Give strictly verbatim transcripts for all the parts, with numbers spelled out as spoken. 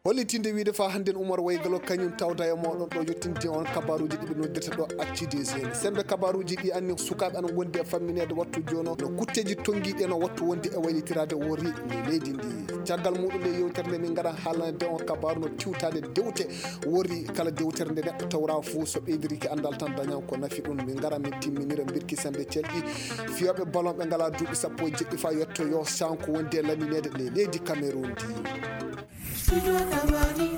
hollitinde wiide fa hannden Oumar Waygalo kañum tawda e moɗon ɗo yettinde on kabaruji ɗiɓe noddirta ɗo actu des jeunes sembe kabaruji ɗi anni sukaɓe ana gondi e famminede wattu jono no kutteji tonguiɗi no wattu wonde e waylitirade wori e leydi ndi caggal muɗum nde yewtere nde min gaɗa haalande on kabaru no tiwtade dewte wori kala dewtere nde neɗɗo tawra fou so ɓeydiriki andal tan dañan ko nafi ɗum min gara min timminira birki sembe celɗi fiyoɓe ballon ɓe ngala duuɓi sappo e jeɗɗi fa yetto yo sanko wondi e laminede le leydi Cameroun ndi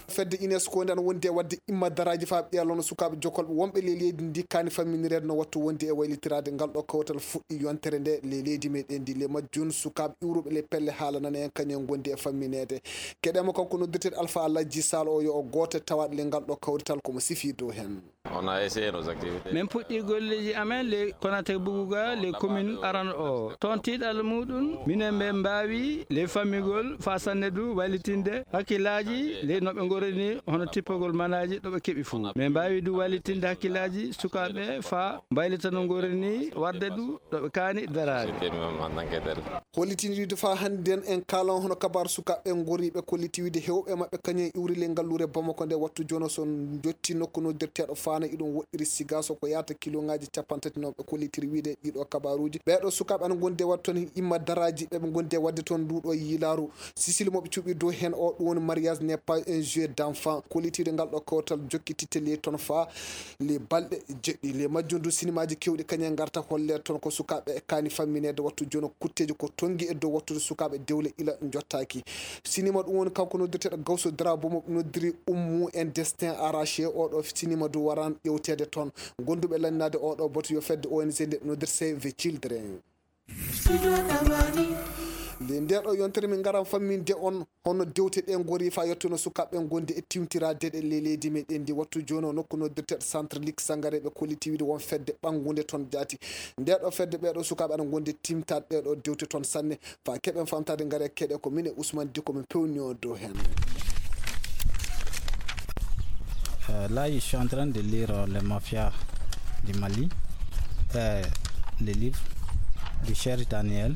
fedde UNESCO nde wonde wadde imma daraji fa ɓeelono sukaɓe jokolɓe wonɓe le leydi ndi kani famminirede no wattu wonde e waylitirade ngal ɗo kawtal fuɗɗi yontere nde le leydi meɗen ndi le majjun sukaɓe iwruɓe le pelle haalanana en kañum gondi e famminede keɗema kanko noddirteɗo Alpha Aladji Sall o yo o goto tawaɗe le ngal ɗo kawrital komo sifi dow hen. On a essayé nos activités. min puɗɗi golleji amen le Konaté Bougouga le commune aran o toon tiiɗal muɗum minen ɓe mbawi le fammigol fa sanne du wallitinde hakkillaji le noɓe gorini hono tippogol manaji ɗoɓe keeɓi fou min mbawi du wallitinde hakkillaji sukaɓe fa mbaylita no gorini wadde du ɗoɓe kaani darade hollitinide fa hannden en kalan hono kabar sukaɓe goriɓe kollitiwide hewɓe mabɓe kañum iwrile ngallure Bamako nde wattu jono son jotti nokku noddirteɗo fana iɗum woɗɗiri siga so ko yata kiloŋaji capantati noon ɓe kollitiri wiide ɗiɗo kabaruji ɓeɗo sukaɓe ana gonde wadde toon imma daraji ɓeɓe gonde wadde toon nduɗo yilaru sisili moɓe cuuɓi dow hen o ɗum woni mariage n'est pas un jeu d'enfant kollitide ngal ɗo kawtal jokkititte le toon fa le balɗe jeɗɗi le majjundu sinimaji kewɗi kañum garta holle toon ko sukaɓe e kani famminede wattu jono kutteji ko tongi e dow wattude sukaɓe dewle ila jottaki sinima ɗum woni kanko noddirteɗo Gawso Drabo mo noddiri Oumou un destin arraché oɗo sinima du waran ƴewtede toon gonduɓe lannade oɗo boto yo fedde O N G nde noddir Save the Children nde ndeɗo yontere min garan famminde on hono dewte ɗe gori fa yettuno sukaɓe gondi e timtirade ɗe le leydi meɗen ndi wattu joni o nokku noddirteɗo centre Luc Sangaré ɓe kollitiwide won fedde ɓangude toon jaati ndeɗo fedde ɓeɗo sukaɓe aɗa gondi timtade ɗeɗo dewte toon sanne fa keɓen famtade gaare keɗe ko min e Ousmane Diko min pewni o dow hen. Euh, là, je suis en train de lire euh, Les Mafias du Mali, euh, le livre de cher Daniel.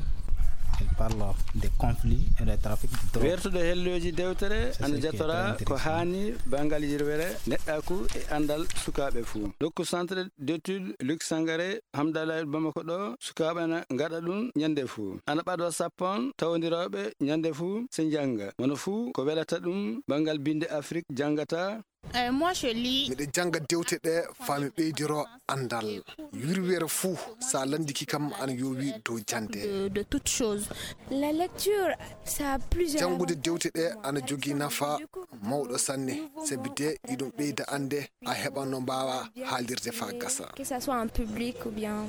Il parle des conflits et des trafics de drogue. wertude helloji dewtere ana jatora ko hani bangal yirwere neɗɗaku e andal sukaɓe fou dokku centre d'étude Luc Sangaré Hamdallah Bamako ɗo sukaɓe ana gaɗa ɗum ñande fou ana ɓadwa sappon tawdiroɓe ñande fou se janga wono fou ko welata ɗum bangal binde Afrique jangata. Euh, moi je lis miɗe janga dewte ɗe fami ɓeydiro andal yurwere fou sa landiki kam ana yowi dow jande de, de toute chose. La lecture ça a plusieurs jangude dewte ɗe ana jogui nafa mawɗo sanne sabi de iɗum ɓeyda ande a heɓan no mbawa haalirde fa gasa que ça soit en public ou bien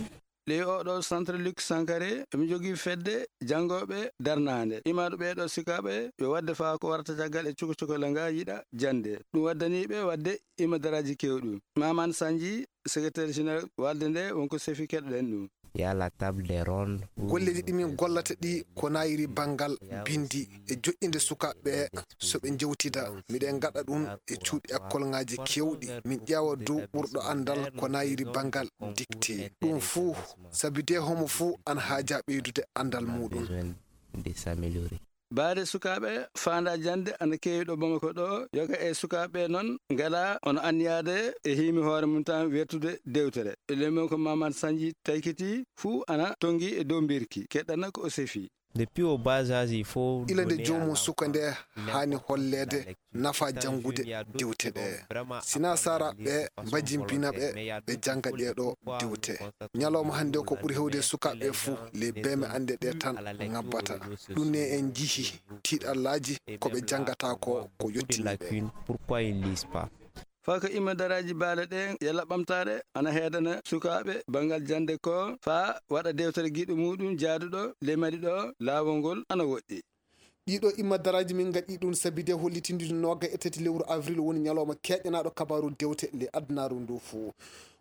le oɗo centre Luc Sangaré emi jogui fedde jangoɓe darnade imaɗo ɓeɗo sikaɓe yo wadde fa ko warata caggal e cuko cukola nga yiɗa jande ɗum waddaniɓe wadde imadaraji kewɗum Maman Sanji secrétaire général walde nde wonko sefi keɗoɗen ɗum. Il y a la table des rondes. golleji ɗimin gollata ɗi ko nayiri banggal bindi e joƴƴinde sukaɓe soɓe jewtida miɗen gaɗa ɗum e cuuɗi école ngaji kewɗi min ƴeewa dow ɓurɗo andal ko nayiri banggal dicté ɗum fuu sabi de homo fuu ana haaja ɓeydude andal muɗum De s'améliorer. baade sukaɓe fanda jande ana kewi ɗo Bamako ɗo yoga e sukaɓe noon ngala ono anniyade e himi hoore mum tan wertude dewtere lemen ko Maman Sanji taykiti fuu ana tongi e dow birki keɗɗana ko o sefi. Depuis au bas âge, il faut ilande jomum suka nde hani hollede nafa jangude dewte ɗe sina sara ɓe mbajimpina ɓe ɓe janga ɗeɗo dewte ñalawma hande ko ɓuuri hewde sukaɓe fuu le beme ande ɗe tan ngabbata ɗum ne en jihi tiiɗallaji koɓe jangata ko ko yettiniɓe. Pourquoi ils lisent pas? fa ko imadaraji baale ɗen yalla ɓamtare ana heedana sukaɓe bangal jande ko fa waɗa dewtere giɗo muɗum jaaduɗo lemadi ɗo laawol ngol ana woɗɗi ɗiɗo imadaraji min gaɗi ɗum sabi de hollitinde nogga e tati lewru avril woni ñalawma keƴƴanaɗo kabaru dewte le adnaru ndu fuu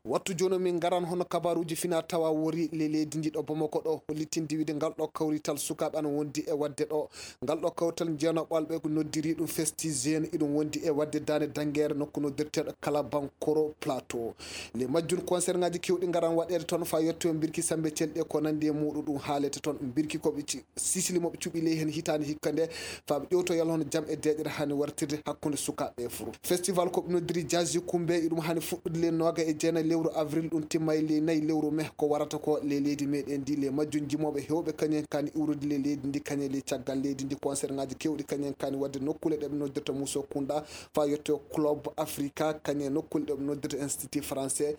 wattu joni min garan hono kabaruji fina tawa wori le leydi ndi ɗo Bamako ɗo hollitinde wiide ngal ɗo kawrital sukaɓe ana wondi e wadde ɗo ngal ɗo kawrital jeenoɓalɓe ko noddiri ɗum festi jeune iɗum wondi e wadde dane Danguére nokku noddirteɗo Kalabankoro Plateau les majjun concert ngaji kewɗi garan waɗede toon fa yetto birki sambe celɗe ko nandi e muɗum ɗum haalete toon birki koɓe sisili moɓe cuɓi ley hen hitande hikka nde faaɓe ƴewto yalla hono jam e deƴere hani wartirde hakkude sukaɓe e furu festival koɓe noddiri Jazzy Kumbe iɗum hani fuɗɗude le noga e jeenayi lewru avril ɗum timma e le nayyi lewru mai ko warata ko le leydi meɗen ndi le majjum jimoɓe hewɓe kañen kani iwrude le leydi ndi kañe le caggal leydi ndi concert ngaji kewɗi kañen kani wadde nokkule ɗeɓe noddirta Mousso Kounda fa yetto Club Africa kañe nokkule ɗeɓe noddirta Institut Français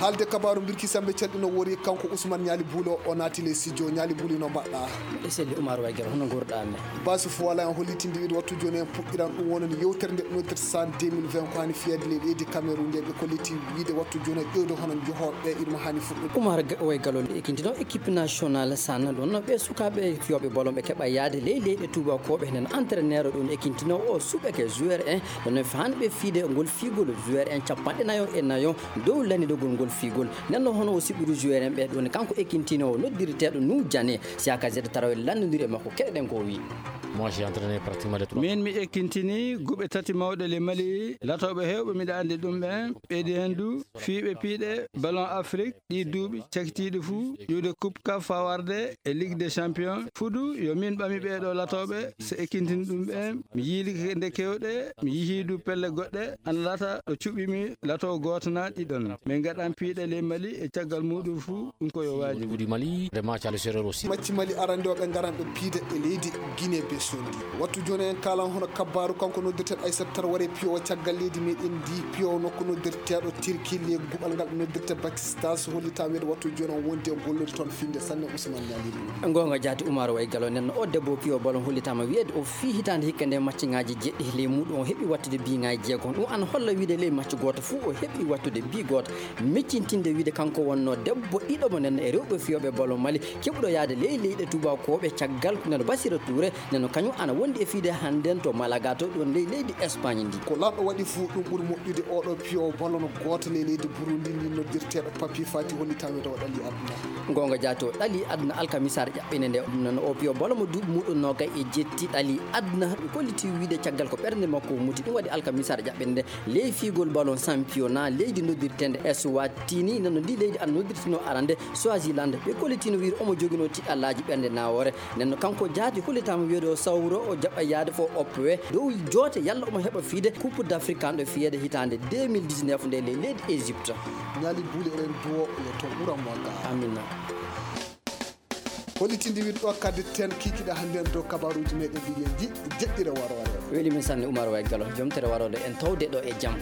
haalde kabaru birki sambe celɗino wori kanko Ousmane Ñali Buulo o naati le studio Ñali Buulo no mbaɗɗa e selli Oumar Waguel hono gurɗami basi fo wala en hollitinde wiide wattu joni en puɗɗiran ɗum wonani yewtere nde noddirta san deux mille vingt ko hani fiyade le leydi Cameroun nde ɓe kolliti wiide wattu joni ƴewde hono johoɓe iɗum hani fuɗɗude Oumar Waguel ekintino équipe nationale sanna ɗon ɓe sukaɓe fiyoɓe bolon ɓe keeɓa yaade ley leyɗe tubakoɓe enen entraîneur ɗum ekintino o suɓeke joueur en ɗon fanɓe fiide ngol figol joueur en capanɗe nayo e nayo dow lanidogol ngol figol nenno hono o siɓɓude joueur en ɓe ɗon kanko ekintino o noddirteɗo nou Diané Siaka Zede tarawel landodiri e makko keɗeɗen ko wi moi j'ai entraîné pratiquement les trois min mi ekkintini guɓe tati mawɗe le Mali latoɓe hewɓe miɗa andi ɗum ɓen ɓeydi hen du fiiɓe piiɗe ballon Afrique ɗi duuɓi cakitiɗi fou ƴuwde coupe CAF fa warde e Ligue des champions fudu yo min ɓami ɓeɗo latoɓe so ekkintini ɗum ɓen mi yiili nde kewɗe mi yeehi du pelle goɗɗe ana lata ɗo cuɓimi lato goto na ɗiɗon min gaɗan piiɗe le Mali e caggal muɗum fou ɗum koyo waji du Mali vraiment Thialy Sérère aussi macci Mali arandeɓe garan ɓe piide e leydi Guinée Bissau wattu joni en kalan hono kabbaru kanko noddirteɗo Aissata Traoré piyo caggal leydi meɗen ndi piyo nokku noddirteɗo Turquie le guɓal ngal noddirte Pakistan so hollitama wiide wattu joni on wondi e gollude toon finde sanne Ousmane Ñali gonga jaati Oumar Waguel nenno o debbo piyo ballon hollitama wiide o fi hitande hikka nde maccingaji jeɗɗi ley muɗum o heeɓi wattude biŋaji jeegom ɗum an holla wiide ley macci goto fou o heeɓi wattude bi goto meccintinde wiide kanko wonno debbo ɗiɗomo nenno e rewɓe fiyoɓe ballon Mali keɓɗo yaade ley leyɗe tubakoɓe caggal neno Bassirou Touré neno kañum ana wondi e fiide hannden to Malaga to ɗon ley leydi Espagne ndi ko lamɗo waɗi fou ɗum ɓuuri moƴƴude oɗo piyo ballon goto ley leydi Burundi ndi noddirteɗo Papi Fati hollitama to ɗalli aduna gonga jaati o ɗali aduna alkamisare ƴaɓɓine nde nono o piyo ballon mo duuɓi muɗum noga e jetti ɗali aduna ɗum kolliti wiide caggal ko ɓernde makko muti ɗum waɗi alkamisare ƴaɓɓine nde ley figol ballon championnat leydi noddirtende Eswatini nano ndi leydi an noddirtino arande Swaziland ɓe kollitino wiide omo joguino tiɗallaji ɓernde nawore nenno kanko jaati hollitama wiide o sawro o jaɓɓa yaade fo opwe dow joote yalla omo heɓa fiide coupe d'Afrique ɗo fiyede hitande deux mille dix-neuf nde le leydi Égypte Ñali Buule eɗen duwo yo to ɓuranmo ga amina hollitinde wiide ɗo kadde ten kikiɗa hannde dow kabaruji meɗen mbiɗen ji jeɗɗire waro waro weeli min sanne Oumar Waguel jomtere warode en tawde ɗo e jaam